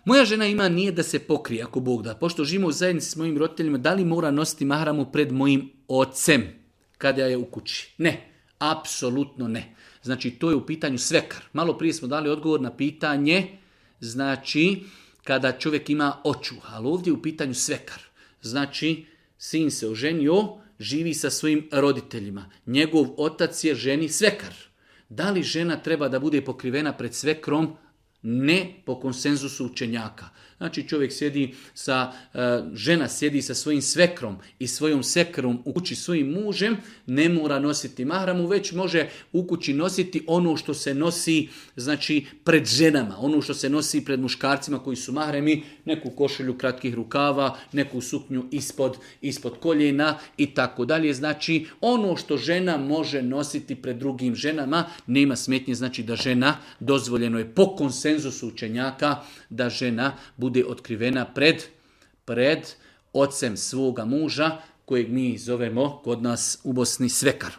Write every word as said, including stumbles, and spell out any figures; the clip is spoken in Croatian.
Moja žena ima nije da se pokrije, ako Bog da. Pošto živimo u zajednici s mojim roditeljima, da li mora nositi mahramu pred mojim ocem kada je u kući? Ne, apsolutno ne. Znači, to je u pitanju svekar. Malo prije smo dali odgovor na pitanje, znači, kada čovjek ima očuh, ali ovdje je u pitanju svekar. Znači, sin se oženio, živi sa svojim roditeljima. Njegov otac je ženi svekar. Da li žena treba da bude pokrivena pred svekrom? Ne, po konsenzusu učenjaka. Znači čovjek sjedi sa, žena sjedi sa svojim svekrom i svojom sekrom u kući svojim mužem, ne mora nositi mahramu, već može u kući nositi ono što se nosi, znači, pred ženama, ono što se nosi pred muškarcima koji su mahremi, neku košulju kratkih rukava, neku suknju ispod, ispod koljena i tako dalje. Znači ono što žena može nositi pred drugim ženama, nema smetnje, znači da žena, dozvoljeno je po konsenzusu učenjaka da žena bude otkrivena pred, pred ocem svoga muža, kojeg mi zovemo kod nas u Bosni svekar.